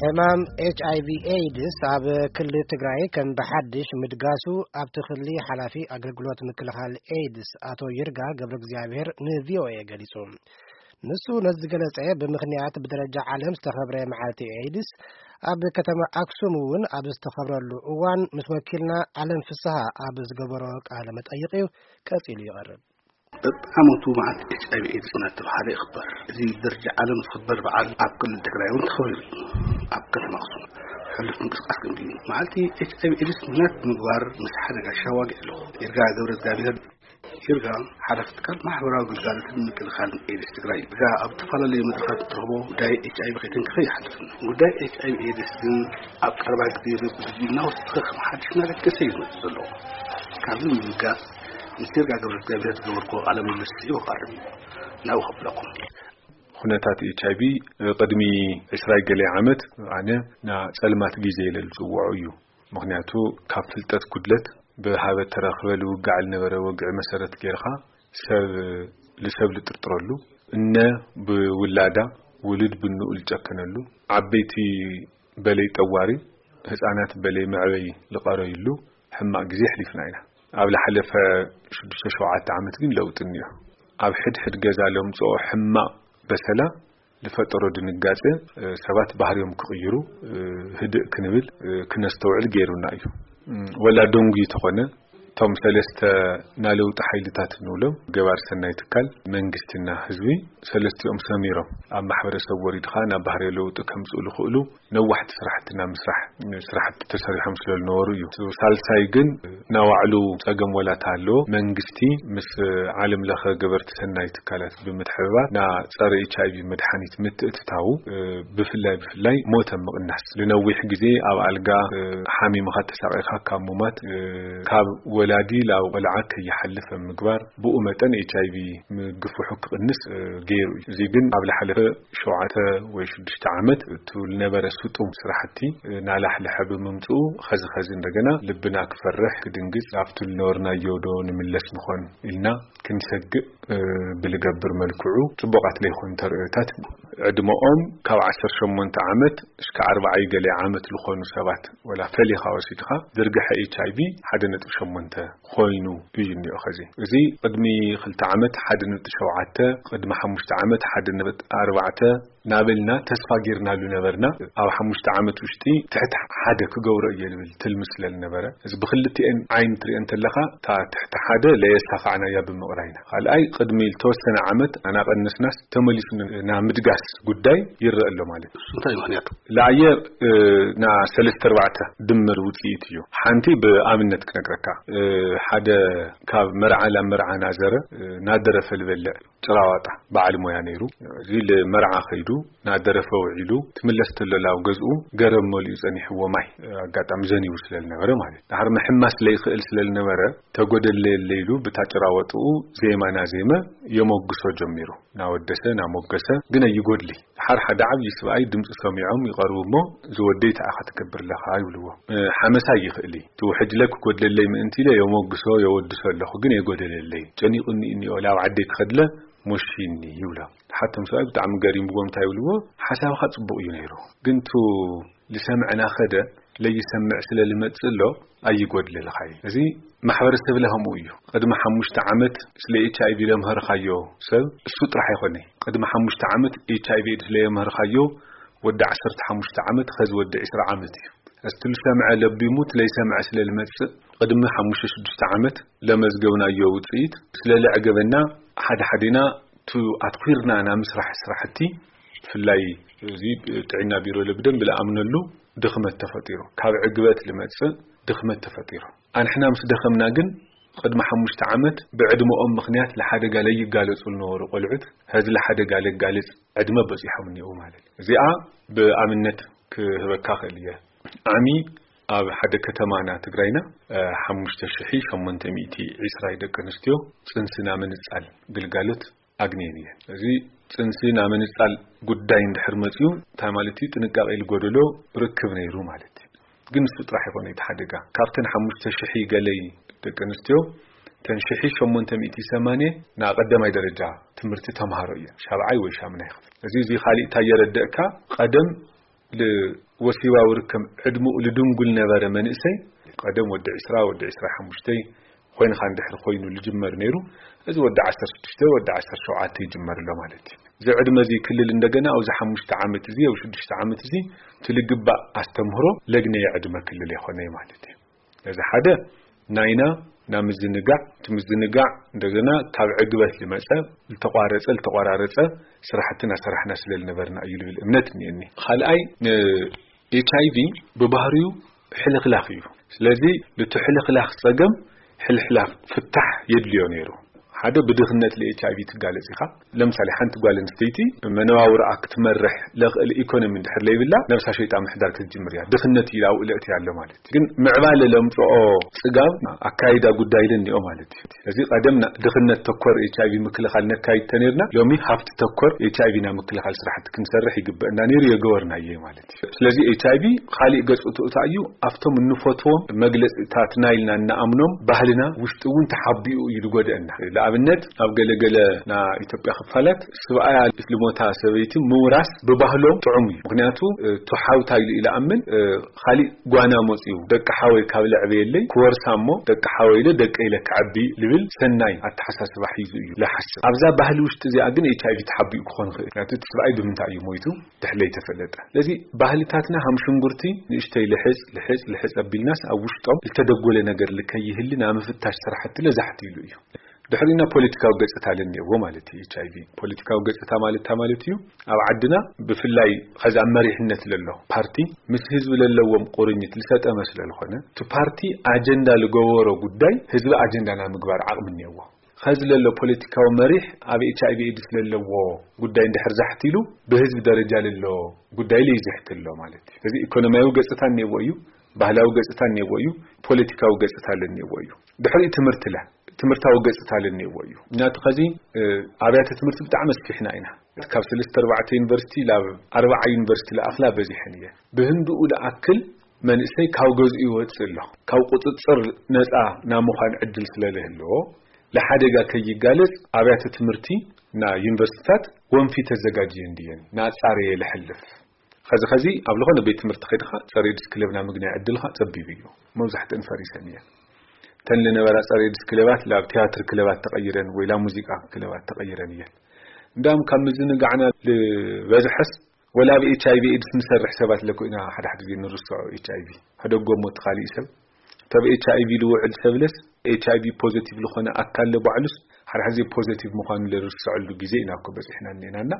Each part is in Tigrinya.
ሕማም ኤች ኣይ ቪ ኤድስ ኣብ ክልል ትግራይ ከም ብሓድሽ ምድጋሱ ኣብቲ ክልል ሓላፊ ኣገልግሎት ምክልኻል ኤድስ ኣቶ ይርጋ ገብረ እግዚኣብሔር ን ቪ ኦ ኤ ገሊጹ። ንሱ ነዚ ዝገለጸ ብምኽንያት ብደረጃ ዓለም ዝተኸብረ መዓልቲ ኤድስ ኣብ ከተማ ኣክሱም እውን ኣብ ዝተኸብረሉ እዋን ምስ ወኪልና ዓለም ፍስሃ ኣብ ዝገበሮ ቃለ መጠይቕ እዩ። ቀጺሉ ይቐርብ። በብዓመቱ መዓልቲ ኤች ኣይ ቪ ኤድስ እናተባህለ ይኽበር። እዚ ደረጃ ዓለም ዝኽበር በዓል ኣብ ክልል ትግራይ እውን ተኸቢሩ እዩ። ኣብ ከተማ ኣክሱም ሕሉፍ ምንቅስቃስ ክንዲ እዩ። መዓልቲ ኤች ኣይ ቪ ኤድስ ምኽንያት ብምግባር ምስ ሓደጋ ሻዋጊ ኣለኹ። ይርጋ ገብረ እግዚኣብሔር ይርጋ ሓላፊ ትካል ማሕበራዊ ግልጋሎትን ምክልኻልን ኤድስ ትግራይ። ይርጋ ኣብ ዝተፈላለዩ መድረኻት እትረኽቦ ጉዳይ ኤች ኣይ ቪ ከይተንከፈ ይሓልፍን። ጉዳይ ኤች ኣይ ቪ ኤድስ ግን ኣብ ቀረባ ግዜ በብግዜኡ እናወሰኸ ከም ሓድሽ እናለገሰ እዩ ዝመጽእ ዘሎ። ካብዚ ንምብጋስ ምስ ይርጋ ገብረ እግዚኣብሔር ዝገበርኩዎ ቃለ ምልልስ ይወቃርም ናብኡ ከብለኩም። ኩነታት ኤች ኣይ ቪ ቅድሚ ዕስራ ገለ ዓመት ኣነ ና ጸልማት ግዜ ኢለ ዝጽውዖ እዩ። ምኽንያቱ ካብ ፍልጠት ጉድለት ብሃበ ተረኽበ ልውጋዕ ልነበረ ወግዒ መሰረት ጌርኻ ሰብ ልሰብ ልጥርጥረሉ፣ እነ ብውላዳ ውሉድ ብንኡ ልጨከነሉ፣ ዓበይቲ በለይ ጠዋሪ ህፃናት በለይ መዕበይ ልቐረዩሉ ሕማቕ ግዜ ኣሕሊፍና ኢና። ኣብ ልሓለፈ ሽዱሽተ ሸውዓተ ዓመት ግን ለውጢ እኒኦ። ኣብ ሕድሕድ ገዛ ለምፅኦ ሕማቕ በሰላ ልፈጠሮ ድንጋፀ ሰባት ባህርዮም ክቕይሩ ህድእ ክንብል ክነስተውዕል ገይሩና እዩ። ወላ ደንጉዩ ተኾነ እቶም ሰለስተ ናለውጢ ሓይልታት ንብሎም ገባር ሰናይ ትካል መንግስትና ህዝቢ ሰለስቲኦም ሰሚሮም ኣብ ማሕበረሰብ ወሪድኻ ናብ ባህርዮ ለውጢ ከምፅኡ ዝኽእሉ ነዋሕቲ ስራሕቲ ናብ ምስራሕ ስራሕቲ ተሰሪሖም ስለ ዝነበሩ እዩ። ሳልሳይ ግን ናባዕሉ ፀገም ወላ ተሃለዎ መንግስቲ ምስ ዓለም ለኸ ገበርቲ ሰናይ ትካላት ብምትሕብባር ና ፀረ ኤች ኣይ ቪ መድሓኒት ምትእትታዉ ብፍላይ ብፍላይ ሞት ኣብ ምቕናስ ንነዊሕ ግዜ ኣብ ኣልጋ ሓሚምኻ ተሳቒኻ ካብ ሙማት ካብ ወላዲ ላብ ቆልዓ ከይሓልፍ ኣብ ምግባር ብኡ መጠን ኤች ኣይ ቪ ምግፍሑ ክቕንስ ገይሩ እዩ። እዚ ግን ኣብ ልሓለፈ ሸውዓተ ወይ ሽዱሽተ ዓመት እቱ ልነበረ ስጡም ስራሕቲ ናላሕልሐ ብምምፅኡ ኸዚ ኸዚ እንደገና ልብና ክፈርሕ ክድንግፅ ኣብቱ ልነበርናዮ ዶ ንምለስ ንኾን ኢልና ክንሰግእ ብልገብር መልክዑ ፅቡቓት ለይኾኑ ተርእዮታት ዕድመኦም ካብ ዓሰርተ ሸሞንተ ዓመት እስከ ኣርባዓ ገለ ዓመት ዝኾኑ ሰባት ወላ ፈሊኻ ወሲድኻ ዝርግሐ ኤች ኣይ ቪ ሓደ ነጥቢ ሸሞንተ ኮይኑ እዩ እኒኦ። ኸዚ እዚ ቅድሚ ክልተ ዓመት ሓደ ነጥቢ ሸውዓተ ቅድሚ ሓሙሽተ ዓመት ሓደ ነጥቢ ኣርባዕተ ናበልና ተስፋ ጌርናሉ ነበርና። ኣብ ሓሙሽተ ዓመት ውሽጢ ትሕቲ ሓደ ክገብሮ እየ ልብል ትልሚ ስለ ዝነበረ እዚ ብክልቲኤን ዓይኒ ትሪኦ እንተለኻ እታ ትሕቲ ሓደ ለየሳፋዕናያ ብምቕራይና ካልኣይ ቅድሚ ዝተወሰነ ዓመት ኣናቐነስናስ ተመሊሱ ናብ ምድጋስ ጉዳይ ይረአ ኣሎ ማለት እዩ። እንታይ ምኽንያቱ? ለኣየ ና ሰለስተ ኣርባዕተ ድምር ውፅኢት እዩ። ሓንቲ ብኣብነት ክነግረካ ሓደ ካብ መርዓ ላብ መርዓ ናዘረ ናደረፈ ልበልዕ ጭራዋጣ በዓል ሞያ ነይሩ። እዚ ልመርዓ ከይዱ ናደረፈ ውዒሉ ትምለስ ተሎ ላብ ገዝኡ ገረብ መሊኡ ጸኒሕዎ ማይ ኣጋጣሚ ዘኒቡ ስለ ዝነበረ ማለት እዩ። ድሓር ምሕማስ ለይኽእል ስለ ዝነበረ ተጎደለየለ ኢሉ ብታ ጭራወጥኡ ዜማ ናዜመ የመጉሶ ጀሚሩ። ናወደሰ ናሞገሰ ግን ኣይጎድሊ። ድሓር ሓደ ዓብዪ ስብኣይ ድምፂ ሰሚዖም ይቐርቡ እሞ ዝወደይ ተኣኻ ትገብር ኣለኻ ይብልዎ። ሓመሳ ይኽእል እዩ። ትውሕጅለ ክጎድለለይ ምእንቲ ኢለ የሞግሶ የወድሶ ኣለኹ ግን የጎደለለይ ጨኒቑኒ እኒኦ ላብ ዓደይ ክኸድለ ሞሺኒ ይብሎ። ሓቶም ሰብኣይ ብጣዕሚ ገሪምዎም እንታይ ይብልዎ ሓሳብኻ ጽቡቕ እዩ ነይሩ ግን ቱ ልሰምዕና ኸደ ለይሰምዕ ስለ ልመጽእ ኣሎ ኣይጎድለልኻ እዩ። እዚ ማሕበረሰብ ለኸምኡ እዩ። ቅድሚ ሓሙሽተ ዓመት ስለ ኤች ኣይ ቪ ለምህርኻዮ ሰብ እሱ ጥራሕ ኣይኮነ። ቅድሚ ሓሙሽተ ዓመት ኤች ኣይ ቪ ኤድስ ለየምህርኻዮ ወዲ ዓሰርተ ሓሙሽተ ዓመት ኸዚ ወዲ ዕስራ ዓመት እዩ። እስቲ ልሰምዐ ለቢሙ ትለይሰምዐ ስለ ልመጽእ ቅድሚ ሓሙሽተ ሽዱሽተ ዓመት ለመዝገብናዮ ውፅኢት ስለ ለዕገበና ሓደ ሓዴና ቱ ኣትኲርና ናብ ምስራሕ ስራሕቲ ብፍላይ እዚ ጥዕና ቢሮ ለብደን ብለኣምነሉ ድኽመት ተፈጢሩ ካብ ዕግበት ልመጽእ ድኽመት ተፈጢሩ ኣንሕና ምስ ደኸምና ግን ቅድሚ ሓሙሽተ ዓመት ብዕድመኦም ምኽንያት ለሓደጋ ለይጋለጹ ልነበሩ ቆልዑት ሀዚ ለሓደጋ ለጋልጽ ዕድመ በጺሖም እኒኡ ማለት እዚኣ ብኣብነት ክህበካ ክእል እየ ዓሚ ኣብ ሓደ ከተማና ትግራይና ሓሙሽተ ሽሒ ሸሞንተ ሚእቲ ዕስራ ደቂ ኣንስትዮ ፅንስና ምንፃል ግልጋሎት ኣግንየን እየን። እዚ ፅንሲ ናብ ምንፃል ጉዳይ እንድሕር መፅዩ እንታይ ማለት እዩ? ጥንቃቄ ዝጎደሎ ርክብ ነይሩ ማለት እዩ። ግን እሱ ጥራሕ ይኾነ እቲ ሓደጋ ካብተን ሓሙሽተ ሽሒ ገለይ ደቂ ኣንስትዮ ተን ሽሒ ሸሞንተ ሚእቲ ሰማንየ ና ቀዳማይ ደረጃ ትምህርቲ ተምሃሮ እየን ሻብዓይ ወይ ሻምናይ ክፍል እዚ እዚ ካሊእ እንታይ የረደእካ ቀደም ወሲባዊ ርከብ ዕድመኡ ልድንጉል ነበረ መንእሰይ፣ ቀደም ወዲ ዕስራ፣ ወዲ ዕስራ ሓሙሽተ ኮይንካ እንድሕር ኮይኑ ልጅመር ነይሩ፣ እዚ ወዲ ዓሰርተ ሽዱሽተ፣ ወዲ ዓሰርተ ሸውዓተ ይጅመር ኣሎ ማለት እዩ። እዚ ዕድመ እዚ ክልል እንደገና ኣብዚ ሓሙሽተ ዓመት እዚ፣ ኣብ ሽዱሽተ ዓመት እዚ እቲ ልግባእ ኣስተምህሮ ለግነየ ዕድመ ክልል የኾነ ማለት እዩ። ነዚ ሓደ ናይና ናብ ምዝንጋዕ፣ እቲ ምዝንጋዕ እንደገና ካብ ዕግበት ዝመጸ፣ ዝተቋረጸ፣ ዝተቋራረጸ ስራሕቲ እናሰራሕና ስለ ዝነበርና እዩ ልብል እምነት እኒአኒ። ካልኣይ፣ ን-፣ ኤች ኣይ ቪ ብባህሪኡ ሕልኽላኽ እዩ። ስለዚ፣ ነቲ ሕልኽላኽ ጸገም፣ ሕልኽላኽ ፍታሕ የድልዮ ነይሩ። ሓደ ብድኽነት ለ-፣ ኤች ኣይ ቪ ትጋለጽ ኢኻ። ለምሳሌ፣ ሓንቲ ጓል ኣንስተይቲ መነባብሮኣ ክትመርሕ ለኽእል ኢኮኖሚ እንድሕር ለይብላ፣ ነብሳ ሸይጣ ምሕዳር ክትጅምር እያ። ድኽነት እዩ ኣብኡ ለእትያ ኣሎ ማለት እዩ። ግን ምዕባለ ለምጽኦ ጽጋብ ኣካይዳ ጉዳይ ለኒኦ ማለት እዩ። እዚ ቀደም ና-፣ ድኽነት ተኮር ኤች ኣይ ቪ ምክልኻል ነካይድ ተኔርና፣ ሎሚ ሃብቲ ተኮር ኤች ኣይ ቪ ና ምክልኻል ስራሕቲ ክንሰርሕ ይግበእና ነይሩ፣ የገበርናዮ ማለት እዩ። ስለዚ ኤች ኣይ ቪ ካሊእ ገጹ ትእታ እዩ፣ ኣብቶም እንፈትዎም መግለጺታት ናይልና እናኣምኖም ባህልና ውሽጢ እውን ተሓቢኡ እዩ ዝጎድአና። ንኣብነት ኣብ ገለገለ ና ኢትዮጵያ ክፋላት ስብኣያ ልሞታ ሰበይቲ ምውራስ ብባህሎም ጥዑም እዩ። ምክንያቱ፣ እ፣ ቱሓውታ ኢሉ ኢለ ኣምን፣ እ፣ ካሊእ ጓና መጽዩ ደቂ ሓወይ ካብ ለዕበየለይ ክወርሳ እሞ ደቂ ሓወይ ኢለ ደቂ ኢለ ክዓቢ ልብል ሰናይ ኣተሓሳስባ ሒዙ እዩ ለሓስብ። ኣብዛ ባህሊ ውሽጢ እዚኣ ግን ኤች ኣይ ቪ ተሓቢኡ ክኾን ይኽእል። ምክንያቱ እቲ ስብኣይ ብምንታይ እዩ ሞይቱ ድሕለይ ተፈለጠ። ስለዚ ባህልታትና ሃም ሽንጉርቲ ንእሽተይ ልሕፅ፣ ልሕፅ፣ ልሕፅ ኣቢልናስ ኣብ ውሽጦም ዝተደጎለ ነገር ልከይህሊ ናብ ምፍታሽ ስራሕቲ ለዛሕቲ ኢሉ እዩ። ድሕሪና ፖለቲካዊ ገጽታ ለኒኤዎ ማለት እዩ። ኤች ኣይ ቪ ፖለቲካዊ ገጽታ ማለት እንታይ ማለት እዩ? ኣብ ዓድና ብፍላይ ኸዚ ኣብ መሪሕነት ለሎ ፓርቲ ምስ ህዝቢ ለለዎም ቁርኝት ልሰጠመ ስለ ዝኾነ፣ እቲ ፓርቲ ኣጀንዳ ልገበሮ ጉዳይ ህዝቢ ኣጀንዳ ናብ ምግባር ዓቕሚ እኒኤዎ። ኸዚ ለሎ ፖለቲካዊ መሪሕ ኣብ ኤች ኣይ ቪ ኤድስ ለለዎ ጉዳይ እንድሕር ዛሕት ኢሉ፣ ብህዝቢ ደረጃ ለሎ ጉዳይ ለይዝሕት ኣሎ ማለት እዩ። እዚ ኢኮኖሚያዊ ገጽታ እኒኤዎ እዩ፣ ባህላዊ ገጽታ እኒኤዎ እዩ፣ ፖለቲካዊ ገጽታ ለኒኤዎ እዩ። ድሕሪ ትምህርቲ ለ-፣ ትምህርታዊ ገጽታ ለኒኤዎ እዩ። ምክንያቱ ኸዚ፣ እ፣ ኣብያተ ትምህርቲ ብጣዕሚ ኣስፊሕና ኢና። ካብ ሰለስተ ኣርባዕተ ዩኒቨርሲቲ ላብ ኣርባዓ ዩኒቨርሲቲ ለኣኽላ በዚሐን እየን። ብህንድኡ ለኣክል መንእሰይ ካብ ገዝኡ ይወጽእ ኣሎ። ካብ ቁጽጽር ነጻ ናብ ምዃን ዕድል ስለ ለህልዎ፣ ለሓደጋ ከይጋለጽ ኣብያተ ትምህርቲ ና ዩኒቨርሲቲታት ወንፊት ተዘጋጅየን ድየን? ንኣጻረየ ለሕልፍ። ኸዚ ኸዚ ኣብ ዝኾነ ቤት ትምህርቲ ኸይድኻ ጸረ ኤድስ ክለብ ናብ ምግናይ ዕድልኻ ጸቢብ እዩ። መብዛሕትአን ፈሪሰን እየን። እተን ለነበራ ጸረ ኤድስ ክለባት ላብ ቲያትር ክለባት ተቐይረን ወይ ላብ ሙዚቃ ክለባት ተቐይረን እየን። እንዳም ካብ ምዝንጋዕና ልበዝሐስ ወላ ኣብ ኤች ኣይ ቪ ኤድስ ንሰርሕ ሰባት ለኮ ኢና ሓደ ሓደ ግዜ ንርስዖ ኤች ኣይ ቪ። ሕደጎ እሞ እቲ ካሊእ ሰብ፣ እቲ ኣብ ኤች ኣይ ቪ ልውዕል ሰብለስ፣ ኤች ኣይ ቪ ፖዘቲቭ ልኾነ ኣካል ለባዕሉስ ሓደ ሓደ ግዜ ፖዘቲቭ ምዃኑ ለርስዐሉ ግዜ ኢና እኮ በጺሕና እኒኤና እና፣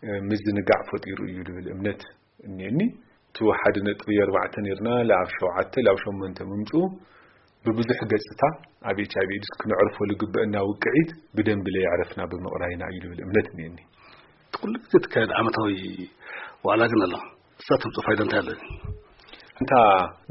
እ፣ ምዝንጋዕ ፈጢሩ እዩ ልብል እምነት እኒኤኒ። እቲ ሓደ ነጥቢ ኣርባዕተ ነይርና፣ ላብ ሸውዓተ፣ ላብ ሸሞንተ ምምጽኡ፣ ብብዙሕ ገጽታ ኣብ ኤች ኣይ ቪ ኤድስ ክነዕርፎ ልግበአና ውቅዒት ብደንቢ ለየዕረፍና ብምቕራይና እዩ ልብል እምነት እኒኤኒ። እቲ ኩሉ ግዜ ትካየድ ዓመታዊ ዋዕላ ግን ኣሎ። እሳ ተምጽኦ ፋይዳ እንታይ ኣሎ? እንታ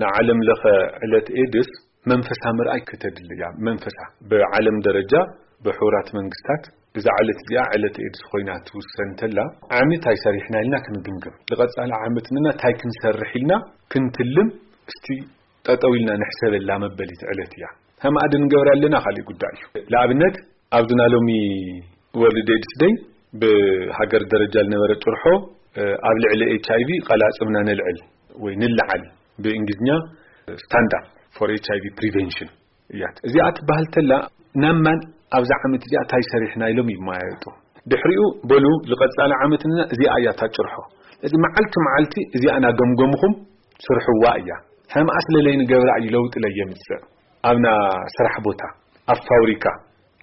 ንዓለም ለኸ ዕለት ኤድስ መንፈሳ ምርኣይ ከተድሊ እያ። መንፈሳ ብዓለም ደረጃ ብሕቡራት መንግስታት እዛ ዕለት እዚኣ ዕለት ኤድስ ኮይና ትውሰን እንተላ፣ ዓመት ኣይሰሪሕና ኢልና ክንግምግም። ዝቐጻለ ዓመት ንና እንታይ ክንሰርሕ ኢልና ክንትልም እስቲ ጠጠው ኢልና ንሕሰበላ መበሊት ዕለት እያ። ከም ኣደ ንገብራ ኣለና ካልእ ጉዳይ እዩ። ንኣብነት፣ ኣብዚ ናይ ሎሚ ወርልድ ኤድስ ደይ ብሃገር ደረጃ ዝነበረ ጭርሖ፣ እ፣ ኣብ ልዕሊ ኤች ኣይ ቪ ቀላጽምና ነልዕል ወይ ንለዓል፣ ብእንግሊዝኛ ስታንዳርድ ፎር ኤች ኣይ ቪ ፕሪቨንሽን እያ። እዚኣ ትበሃል ተላ፣ ናብ ማን ኣብዛ ዓመት እዚኣ እንታይ ሰሪሕና ኢሎም ይመያየጡ። ድሕሪኡ በሉ ዝቐጻለ ዓመት ንና እዚኣ እያ እታ ጭርሖ። እዚ መዓልቲ መዓልቲ እዚኣ እናገምገምኹም ስርሕዋ እያ። ከምኣ ስለ ለይንገብራ እዩ ለውጢ ለየምጽእ። ኣብና ስራሕ ቦታ፣ ኣብ ፋብሪካ፣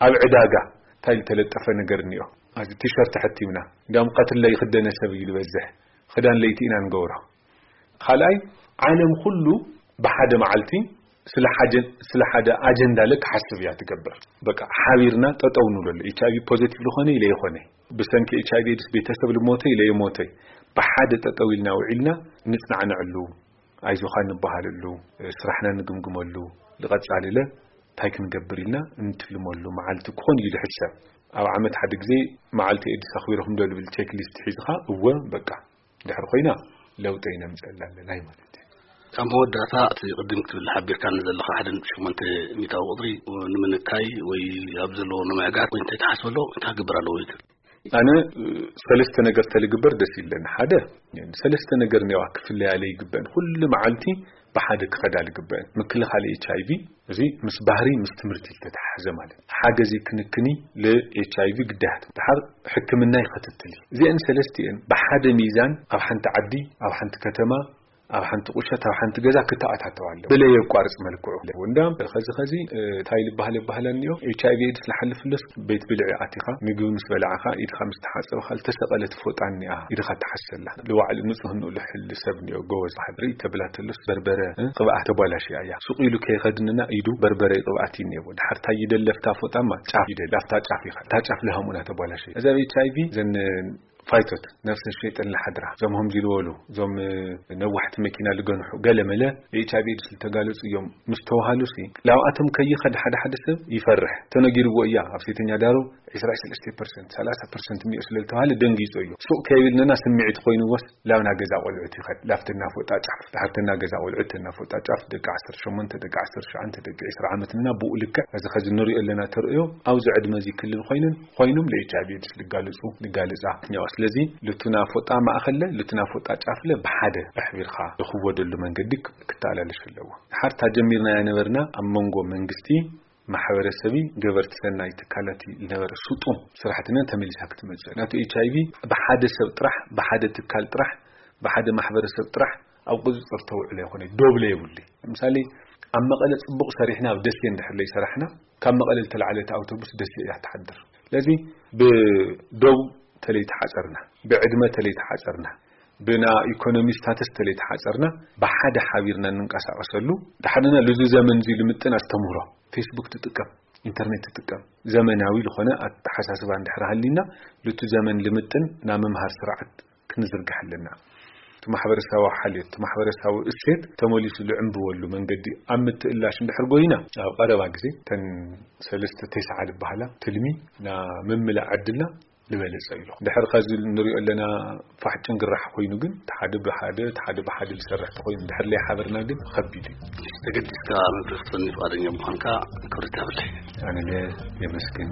ኣብ ዕዳጋ እንታይ ዝተለጠፈ ነገር እኒኦ? ኣብዚ ቲሸርት ተሐቲምና፣ እንዲያውም ቀትር ለይኽደነ ሰብ እዩ ዝበዝሕ። ክዳን ለይቲ ኢና ንገብሮ። ካልኣይ፣ ዓለም ኩሉ ብሓደ መዓልቲ ስለ ሓጀ-፣ ስለ ሓደ ኣጀንዳ ለ ክሓስብ እያ ትገብር። በቃ ሓቢርና ጠጠው ንብለሉ። ኤች ኣይ ቪ ፖዚቲቭ ልኾነ ኢለ ይኾነ፣ ብሰንኪ ኤች ኣይ ቪ ኤድስ ቤተሰብ ልሞተ ኢለ ይሞተ፣ ብሓደ ጠጠው ኢልና ውዒልና ንጽናዕንዐሉ፣ ኣይዞኻ ንበሃለሉ፣ ስራሕና ንግምግመሉ፣ ዝቐጻሊ ለ እንታይ ክንገብር ኢልና እንትልመሉ መዓልቲ ክኾን እዩ ዝሕሰብ። ኣብ ዓመት ሓደ ግዜ መዓልቲ ኤድስ ኣኽቢርኩም ዶ ልብል ቼክ ሊስት ሒዝኻ፣ እወ፣ በቃ፣ ድሕሪ ኮይና ለውጢ ይነምፀላ ኣለና ማለት እዩ። ኣብ መወዳእታ፣ እቲ ቅድም ክትብል ሓቢርካኒ ዘለኻ ሓደ ነጥቢ ሸሞንተ ሚእታዊ ቁፅሪ ንምንካይ ወይ ኣብ ዘለዎ ንምዕጋት ወይ እንታይ ትሓስብ ኣሎ፣ እንታይ ክግበር ኣለዎ ይብል? ኣነ ሰለስተ ነገር ተልግበር ደስ ይብለኒ። ሓደ፣ ሰለስተ ነገር ኔዋ ክፍለያ ለይግበን፣ ኩሉ መዓልቲ ብሓደ ክኸዳ ልግበን። ምክልኻል ኤች ኣይ ቪ፣ እዚ ምስ ባህሪ፣ ምስ ትምህርቲ ዝተተሓዘ ማለት። ሓገዚ ክንክኒ ል ኤች ኣይ ቪ ግዳያት። ድሓር ሕክምና ይኸትትል። እዚአን ሰለስቲአን ብሓደ ሚዛን ኣብ ሓንቲ ዓዲ፣ ኣብ ሓንቲ ከተማ፣ ኣብ ሓንቲ ቁሸት፣ ኣብ ሓንቲ ገዛ ክተኣታተው ኣለዎ። ብለየቋርጽ መልክዑ። እንዳም ከዚ ከዚ፣ እ፣ እንታይ ልበሃል ይበሃል እኒኦ? ኤች ኣይ ቪ ኤድስ ልሓልፍለስ ቤት ብልዒ ኣቲኻ፣ ምግቢ ምስ በላዕኻ፣ ኢድኻ ምስ ተሓጸብኻ፣ ልተሰቐለት ፎጣ እኒኣ፣ ኢድኻ ተሓሰላ። ልዋዕሊ ንጹህ ንኡ ልሕል ሰብ እኒኦ፣ ጎበዝ። ሓድሪ ተብላ ተሎስ በርበረ፣ እ፣ ቅብኣት ተቧላሽያ እያ። ሱቕ ኢሉ ከይኸድንና ኢዱ በርበረ ቅብኣት እዩ እኒኦ። ድሓር እንታይ ይደለፍታ ፎጣማ? ጫፍ ይደል። ኣብታ ጫፍ ኢኻ። እታ ጫፍ ልሃሙና ተቧላሽያ። እዛ ኤች ኣይ ቪ ዘን ፋይቶት ነፍሰ ሸይጠን ለሓድራ፣ እዞም ሆምዚ ዝበሉ፣ እዞም ነዋሕቲ መኪና ልገንሑ፣ ገለ መለ ኤች ኣይ ቪ ኤድስ ዝተጋለጹ እዮም ምስ ተባሃሉ ሲ፣ ላብኣቶም ከይኸድ ሓደ ሓደ ሰብ ይፈርሕ። ተነጊርዎ እያ ኣብ ሴተኛ ዳሩ ዕስራ ሰለስተ ፐርሰንት፣ ሰላሳ ፐርሰንት እኒኦ ስለ ዝተባሃለ ደንጊጹ እዩ። ሱቕ ከይብልንና ስምዒት ኮይንዎስ ላብና ገዛ ቆልዑት ይኸድ። ላብትና ፎጣ ጫፍ፣ ድሓርትና ገዛ ቆልዑት፣ ተና ፎጣ ጫፍ፣ ደቂ ዓሰርተ ሸሞንተ፣ ደቂ ዓሰርተ ትሽዓተ፣ ደቂ ዕስራ ዓመት ንና ብኡ ልክዕ እዚ ኸዚ ንሪኦ ኣለና ተርእዮ ኣብዚ ዕድመ እዚ ክልል ኮይንን ኮይኖም ለ ኤች ኣይ ቪ ኤድስ ልጋልጹ፣ ልጋልጻ። ያው ስለዚ ልቱና ፎጣ ማእኸለ፣ ልቱና ፎጣ ጫፍለ ብሓደ ኣሕቢርካ ዝኽወደሉ መንገዲ ክተኣላለሽ ኣለዎ። ሓርታ ጀሚርናያ ነበርና ኣብ መንጎ መንግስቲ፣ ማሕበረሰቢ፣ ገበርቲ ሰናይ ትካላት ዝነበረ ስጡም ስራሕትና ተመሊሳ ክትመጽእ። ናቱ ኤች ኣይ ቪ ብሓደ ሰብ ጥራሕ፣ ብሓደ ትካል ጥራሕ፣ ብሓደ ማሕበረሰብ ጥራሕ ኣብ ቁጽጽር ተውዕሎ ይኾነ፣ ዶብለ የብሉ። ለምሳሌ ኣብ መቐለ ጽቡቕ ሰሪሕና ኣብ ደሴ እንድሕር ለይሰራሕና፣ ካብ መቐለ ዝተላዕለት ኣውቶቡስ ደሴ እያ ትሓድር። ስለዚ ብዶብ ተለይተሓጸርና፣ ብዕድመ ተለይተሓጸርና፣ ብና ኢኮኖሚ ስታተስ ተለይተሓጸርና፣ ብሓደ ሓቢርና እንንቀሳቐሰሉ፣ ድሓርና ልዙ ዘመን እዚ ልምጥን ኣስተምህሮ፣ ፌስቡክ ትጥቀም፣ ኢንተርኔት ትጥቀም፣ ዘመናዊ ዝኾነ ኣተሓሳስባ እንድሕር ሃሊና፣ ልቱ ዘመን ልምጥን ናብ ምምሃር ስርዓት ክንዝርግሕ ኣለና። እቲ ማሕበረሰባዊ ሓልዮት፣ እቲ ማሕበረሰባዊ እሴት ተመሊሱ ልዕንብበሉ መንገዲ ኣብ ምትእላሽ እንድሕር ጎይና፣ ኣብ ቀረባ ግዜ ተን ሰለስተ ተስዓ ዝበሃላ ትልሚ ና ምምላእ ዕድልና ዝበለጸ እዩ። ድሕር ከዚ ንሪኦ ኣለና ፋሕ ጭንግራሕ ኮይኑ ግን፣ እቲ ሓደ ብሓደ፣ እቲ ሓደ ብሓደ ዝሰርሕ ተኮይኑ፣ ድሕር ለይ ሓበርና ግን ከቢድ እዩ። ተገዲስካ መብርህ ክትፈኒ ፍቓደኛ ምዃንካ ክብሪ ይሃበለይ። ኣነ ለ የመስግን።